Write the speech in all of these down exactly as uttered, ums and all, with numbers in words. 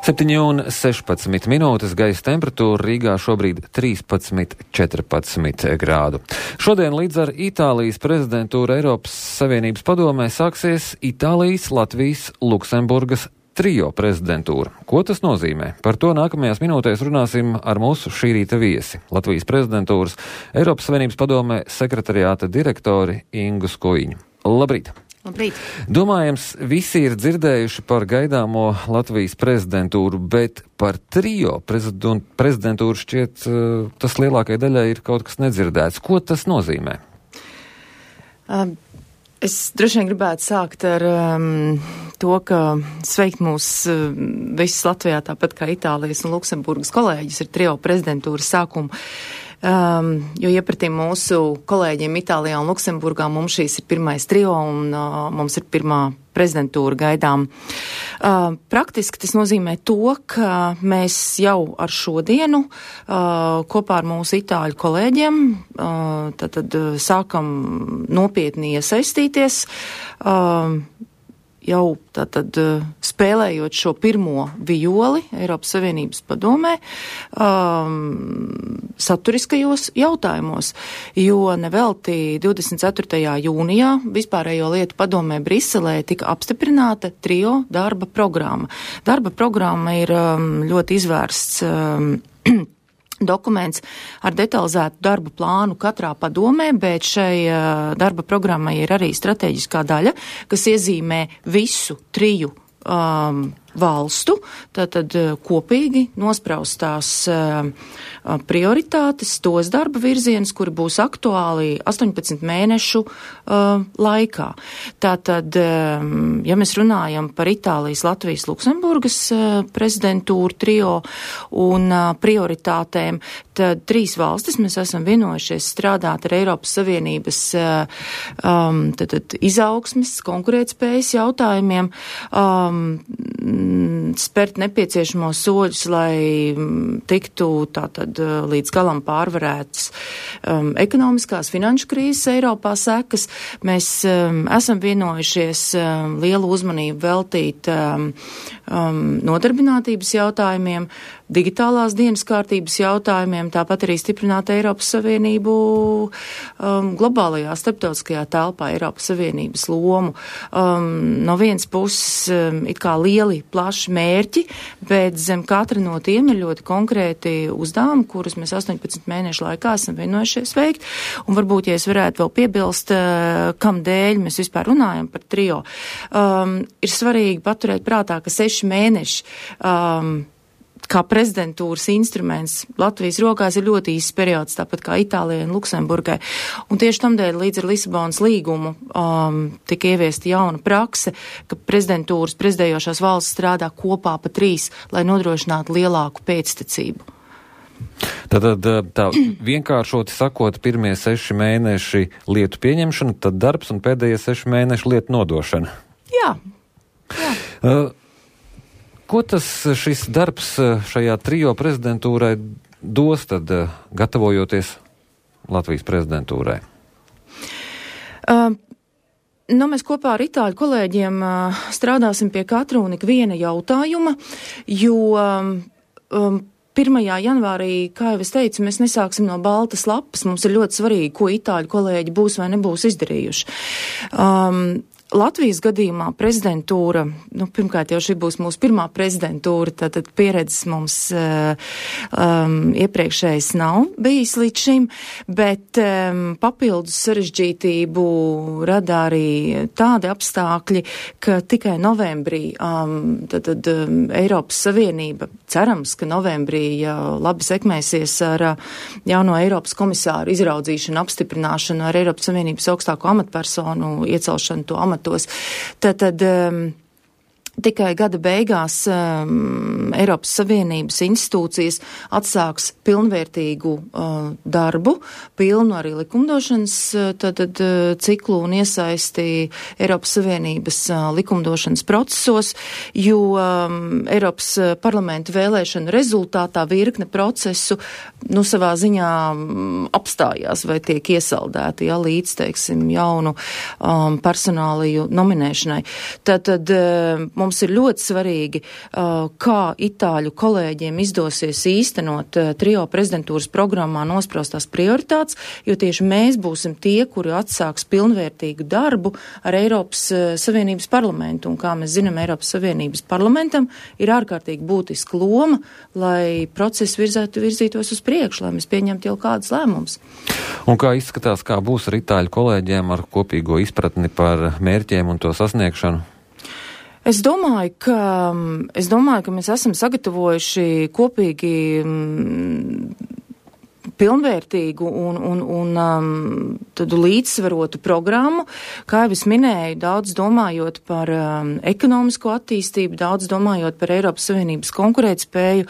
septiņi un sešpadsmit minūtes, gaisa temperatūra Rīgā šobrīd trīspadsmit, četrpadsmit grādu. Šodien līdz ar Itālijas prezidentūru Eiropas Savienības padomē sāksies Itālijas, Latvijas, Luksemburgas trio prezidentūra. Ko tas nozīmē? Par to nākamajās minūtēs runāsim ar mūsu šī rīta viesi. Latvijas prezidentūras Eiropas Savienības padomē sekretariāta direktori Ingu Skujiņu. Labrīt! Labrīt. Domājams, visi ir dzirdējuši par gaidāmo Latvijas prezidentūru, bet par trio prezidentūru šķiet tas lielākai daļai ir kaut kas nedzirdēts. Ko tas nozīmē? Um. Es droši vien gribētu sākt ar um, to, ka sveikt mūs uh, visus Latvijā, tāpat kā Itālijas un Luksemburgas kolēģis ar trio prezidentūras sākumu. Um, jo iepratī mūsu kolēģiem Itālijā un Luksemburgā mums šīs ir pirmais trio un uh, mums ir pirmā prezidentūra gaidām. Uh, praktiski tas nozīmē to, ka mēs jau ar šodienu uh, kopā ar mūsu itāļu kolēģiem uh, tad, tad sākam nopietni iesaistīties. Uh, jau tātad spēlējot šo pirmo violi Eiropas Savienības padomē um, saturiskajos jautājumos, jo nevelti divdesmit ceturtajā jūnijā vispārējo lietu padomē Briselē tika apstiprināta trio darba programma. Darba programma ir um, ļoti izvērsts um, dokuments ar detalizētu darba plānu katrā padomē, bet šai uh, darba programmai ir arī strateģiskā daļa, kas iezīmē visu triju um, valstu, tātad uh, kopīgi nospraustās uh, prioritātes, tos darba virzienus, kuri būs aktuāli astoņpadsmit mēnešu uh, laikā. Tātad, um, ja mēs runājam par Itālijas, Latvijas, Luksemburgas uh, prezidentūru trio un uh, prioritātēm, tad trīs valstis mēs esam vienojušies strādāt ar Eiropas Savienības uh, um, tātad, izaugsmes, konkurētspējas jautājumiem, um, spērt nepieciešamos soļus, lai tiktu tātad līdz galam pārvarētas um, ekonomiskās finanšu krīzes Eiropā sekas. Mēs um, esam vienojušies um, lielu uzmanību veltīt um, um, nodarbinātības jautājumiem, digitālās dienas kārtības jautājumiem, tāpat arī stiprināt Eiropas Savienību um, globālajā starptautiskajā telpā, Eiropas Savienības lomu. Um, no vienas puses um, it kā lieli, plaši mērķi, bet zem katra no tiem ir ļoti konkrēti uzdevumi, kurus mēs astoņpadsmit mēnešu laikā esam vienojušies veikt. Un varbūt, ja es varētu vēl piebilst, uh, kam dēļ mēs vispār runājam par trio, um, ir svarīgi paturēt prātā, ka seši mēneši um, kā prezidentūras instruments Latvijas rokās ir ļoti īsts periods, tāpat kā Itālijai un Luksemburgai. Un tieši tamdēļ līdz ar Lisabonas līgumu um, tika ieviesta jauna prakse, ka prezidentūras prezidējošās valsts strādā kopā pa trīs, lai nodrošinātu lielāku pēctecību. Tātad tā vienkāršoti sakot, pirmie seši mēneši lietu pieņemšana, tad darbs un pēdējie seši mēneši lietu nodošana. Jā. Jā. Uh, Ko tas šis darbs šajā trio prezidentūrai dos tad, gatavojoties Latvijas prezidentūrai? Uh, nu, mēs kopā ar itāļu kolēģiem uh, strādāsim pie katra un ikviena jautājuma, jo um, pirmajā janvārī, kā jau es teicu, mēs nesāksim no baltas lapas. Mums ir ļoti svarīgi, ko itāļu kolēģi būs vai nebūs izdarījuši. Um, Latvijas gadījumā prezidentūra, nu, pirmkārt jau šī būs mūsu pirmā prezidentūra, tātad pieredzes mums uh, um, iepriekšējais nav bijis līdz šim, bet um, papildus sarežģītību rada arī tādi apstākļi, ka tikai novembrī um, tātad um, Eiropas Savienība, cerams, ka novembrī ja labi sekmēsies ar uh, jauno Eiropas komisāru izraudzīšanu, apstiprināšanu ar Eiropas Savienības augstāko amatpersonu iecelšanu to amatu. Tad, tad um, tikai gada beigās um, Eiropas Savienības institūcijas atsāks pilnvērtīgu uh, darbu, pilnu arī likumdošanas uh, tad, tad, uh, ciklu un iesaisti Eiropas Savienības uh, likumdošanas procesos, jo um, Eiropas parlamenta vēlēšana rezultātā virkne procesu nu, savā ziņā um, apstājās vai tiek iesaldēti, ja, līdz, teiksim, jaunu um, personāliju nominēšanai. Tad, tad uh, mums ir ļoti svarīgi, uh, kā itāļu kolēģiem izdosies īstenot uh, trio prezidentūras programmā nospraustās prioritātes, jo tieši mēs būsim tie, kuri atsāks pilnvērtīgu darbu ar Eiropas uh, Savienības parlamentu. Un kā mēs zinām, Eiropas Savienības parlamentam ir ārkārtīgi būtiska loma, lai process virzētu, virzītos uz priekšu, lai mēs pieņemtu jau kādus lēmumus. Un kā izskatās, kā būs ar itāļu kolēģiem ar kopīgo izpratni par mērķiem un to sasniegšanu? Es domāju, ka, es domāju, ka mēs esam sagatavojuši kopīgi pilnvērtīgu un, un, un um, tādu līdzsvarotu programmu, kā jau es minēju, daudz domājot par um, ekonomisko attīstību, daudz domājot par Eiropas Savienības konkurētspēju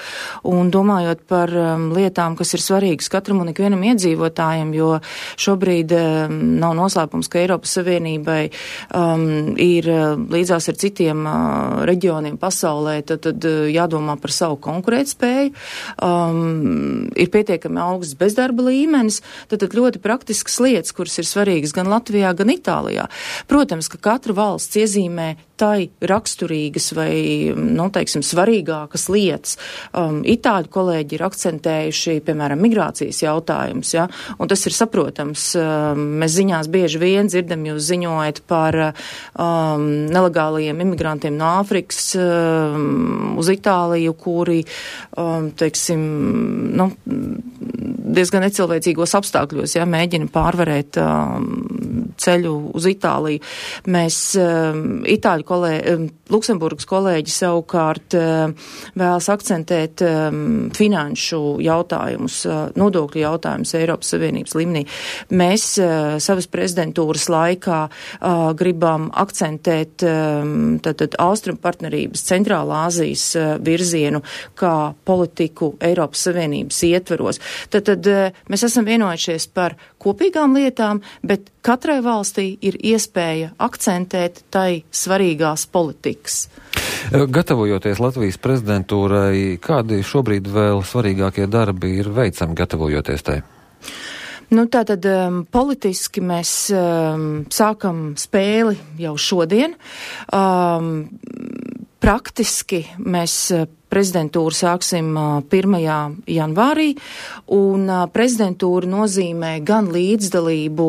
un domājot par um, lietām, kas ir svarīgas katram un ikvienam iedzīvotājiem, jo šobrīd um, nav noslēpums, ka Eiropas Savienībai um, ir uh, līdzās ar citiem uh, reģioniem pasaulē, tad, tad uh, jādomā par savu konkurētspēju. Um, ir pietiekami augsts bezdarba līmenis, tad, tad ļoti praktiskas lietas, kuras ir svarīgas gan Latvijā, gan Itālijā. Protams, ka katra valsts iezīmē tai raksturīgas vai, nu, teiksim, svarīgākas lietas. Um, Itāļu kolēģi ir akcentējuši, piemēram, migrācijas jautājumus, ja, un tas ir saprotams. Um, mēs ziņās bieži vien dzirdam, jūs ziņojat par um, nelegālajiem imigrantiem no Āfrikas um, uz Itāliju, kuri, um, teiksim, nu, diezgan necilvēcīgos apstākļos, ja, mēģina pārvarēt um, ceļu uz Itāliju. Mēs um, Itāļu kolēģi, um, Luksemburgas kolēģi savukārt um, vēlas akcentēt um, finanšu jautājumus, uh, nodokļu jautājumus Eiropas Savienības līmenī. Mēs uh, savas prezidentūras laikā uh, gribam akcentēt um, tātad Austrum partnerības Centrālā Āzijas uh, virzienu kā politiku Eiropas Savienības ietveros. Tad, tad mēs esam vienojušies par kopīgām lietām, bet katrai valstī ir iespēja akcentēt tai svarīgās politikas. Gatavojoties Latvijas prezidentūrai, kādi šobrīd vēl svarīgākie darbi ir veicami gatavojoties tai? Nu, tātad um, politiski mēs um, sākam spēli jau šodien. Um, praktiski mēs prezidentūru sāksim pirmajā janvārī, un prezidentūra nozīmē gan līdzdalību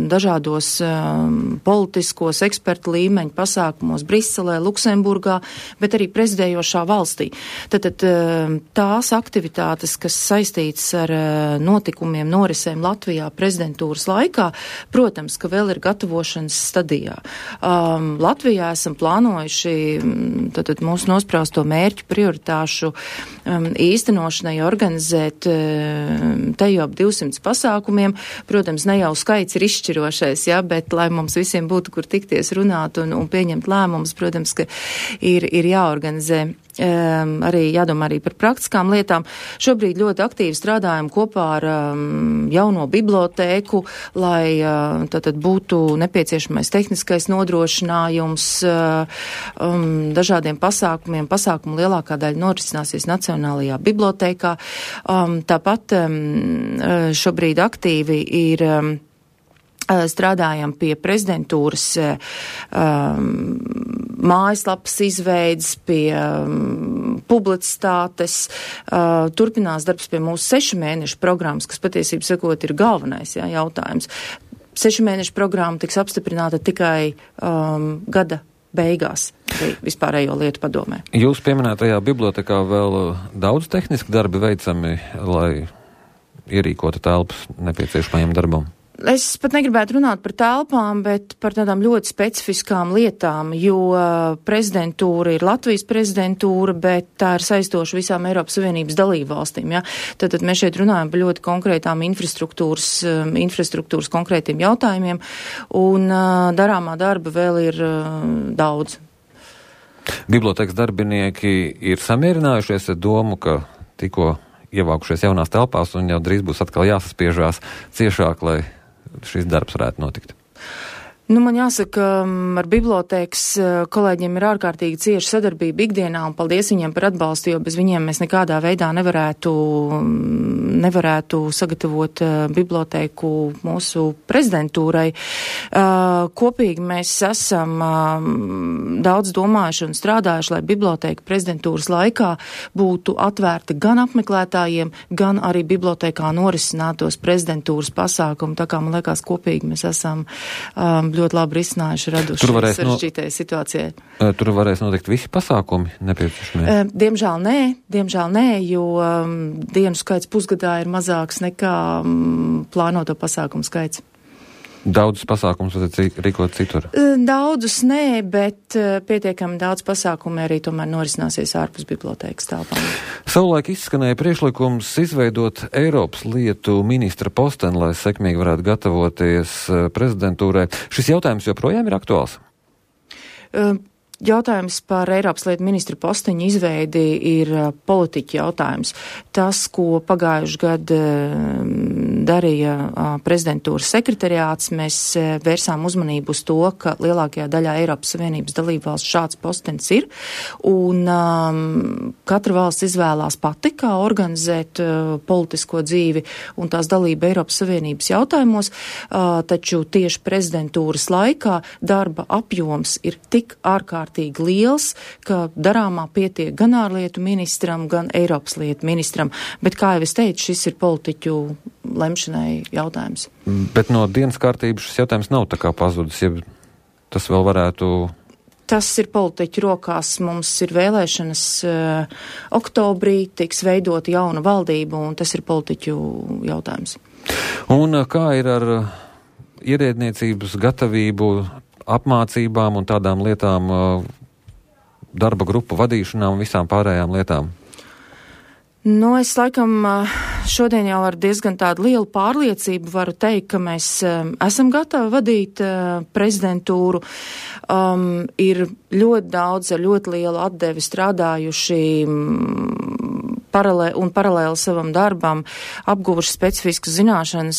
dažādos um, politiskos ekspertu līmeņu pasākumos Briselē, Luksemburgā, bet arī prezidējošā valstī. Tātad tās aktivitātes, kas saistītas ar notikumiem, norisēm Latvijā prezidentūras laikā, protams, ka vēl ir gatavošanas stadijā. Um, Latvijā esam plānojuši tātad mūsu nosprausto mērķu prioritāšu um, īstenošanai organizēt um, te jau ap divsimts pasākumiem. Protams, ne jau skaits ir izšķirošais, ja, bet lai mums visiem būtu, kur tikties, runāt un, un pieņemt lēmumus, protams, ka ir, ir jāorganizē. Um, arī jādomā arī par praktiskām lietām. Šobrīd ļoti aktīvi strādājam kopā ar um, jauno bibliotēku, lai uh, tātad būtu nepieciešamais tehniskais nodrošinājums uh, um, dažādiem pasākumiem. Pasākumu lielākā daļa norisināsies Nacionālajā bibliotēkā. Um, tāpat um, šobrīd aktīvi ir um, strādājam pie prezidentūras um, mājaslapas izveidas, pie um, publicitātes. Uh, turpinās darbs pie mūsu sešu mēnešu programmas, kas patiesībā sakot ir galvenais, jā, jautājums. Sešu mēnešu programma tiks apstiprināta tikai um, gada beigās vispārējo lietu padomē. Jūs pieminētajā bibliotekā vēl daudz tehniski darbi veicami, lai ierīkotu telpas nepieciešamajam darbam? Es pat negribētu runāt par telpām, bet par tādām ļoti specifiskām lietām, jo prezidentūra ir Latvijas prezidentūra, bet tā ir saistoša visām Eiropas Savienības dalību valstīm. Ja? Tad, tad mēs šeit runājam par ļoti konkrētām infrastruktūras, infrastruktūras konkrētiem jautājumiem, un uh, darāmā darba vēl ir uh, daudz. Bibliotēkas darbinieki ir samierinājušies ar domu, ka tikko ievākušies jaunās telpās un jau drīz būs atkal jāsaspiežās ciešāk, lai šis darbs varētu notikt? Nu, man jāsaka, ar bibliotēkas kolēģiem ir ārkārtīgi cieša sadarbība ikdienā, un paldies viņiem par atbalstu, jo bez viņiem mēs nekādā veidā nevarētu, nevarētu sagatavot bibliotēku mūsu prezidentūrai. Kopīgi mēs esam daudz domājuši un strādājuši, lai bibliotēka prezidentūras laikā būtu atvērta gan apmeklētājiem, gan arī bibliotēkā norisinātos prezidentūras pasākumu. Tā kā man liekas, kopīgi mēs esam um, ļoti labi risinājuši, raduši sarežģītajai no... situācijai. Tur varēs notikt visi pasākumi nepieciešamie? Diemžēl nē, diemžēl nē, jo um, dienu skaits pusgadā ir mazāks nekā um, plānoto pasākumu skaits. Daudzus pasākumus vajadzētu rīkot citur? Daudzus nē, bet pietiekami daudz pasākumu arī tomēr norisināsies ārpus bibliotēkas telpām. Savulaik izskanēja priekšlikums izveidot Eiropas lietu ministra posteni, lai sekmīgi varētu gatavoties prezidentūrai. Šis jautājums joprojām ir aktuāls? Uh, Jautājums par Eiropas lietu ministra posteņu izveidi ir politiķu jautājums. Tas, ko pagājuši gadu darīja prezidentūras sekretariāts, mēs vērsām uzmanību uz to, ka lielākajā daļā Eiropas Savienības dalību valsts šāds postenis ir, un um, katra valsts izvēlās pati, kā organizēt uh, politisko dzīvi un tās dalību Eiropas Savienības jautājumos, uh, taču tieši prezidentūras laikā darba apjoms ir tik ārkārtīgi liels, ka darāmā pietiek gan ārlietu ministram, gan Eiropas lietu ministram. Bet, kā jau es teicu, šis ir politiķu lemšanai jautājums. Bet no dienas kārtības šis jautājums nav tā kā pazudis, ja tas vēl varētu... Tas ir politiķu rokās. Mums ir vēlēšanas uh, oktobrī, tiks veidot jauna valdība, un tas ir politiķu jautājums. Un kā ir ar ierēdniecības gatavību, apmācībām un tādām lietām, darba grupu vadīšanām un visām pārējām lietām? Nu, es laikam šodien jau ar diezgan tādu lielu pārliecību varu teikt, ka mēs um, esam gatavi vadīt uh, prezidentūru. Um, ir ļoti daudz ar ļoti lielu atdevi strādājuši um, paralē, un paralēli savam darbam apguvuši specifiskas zināšanas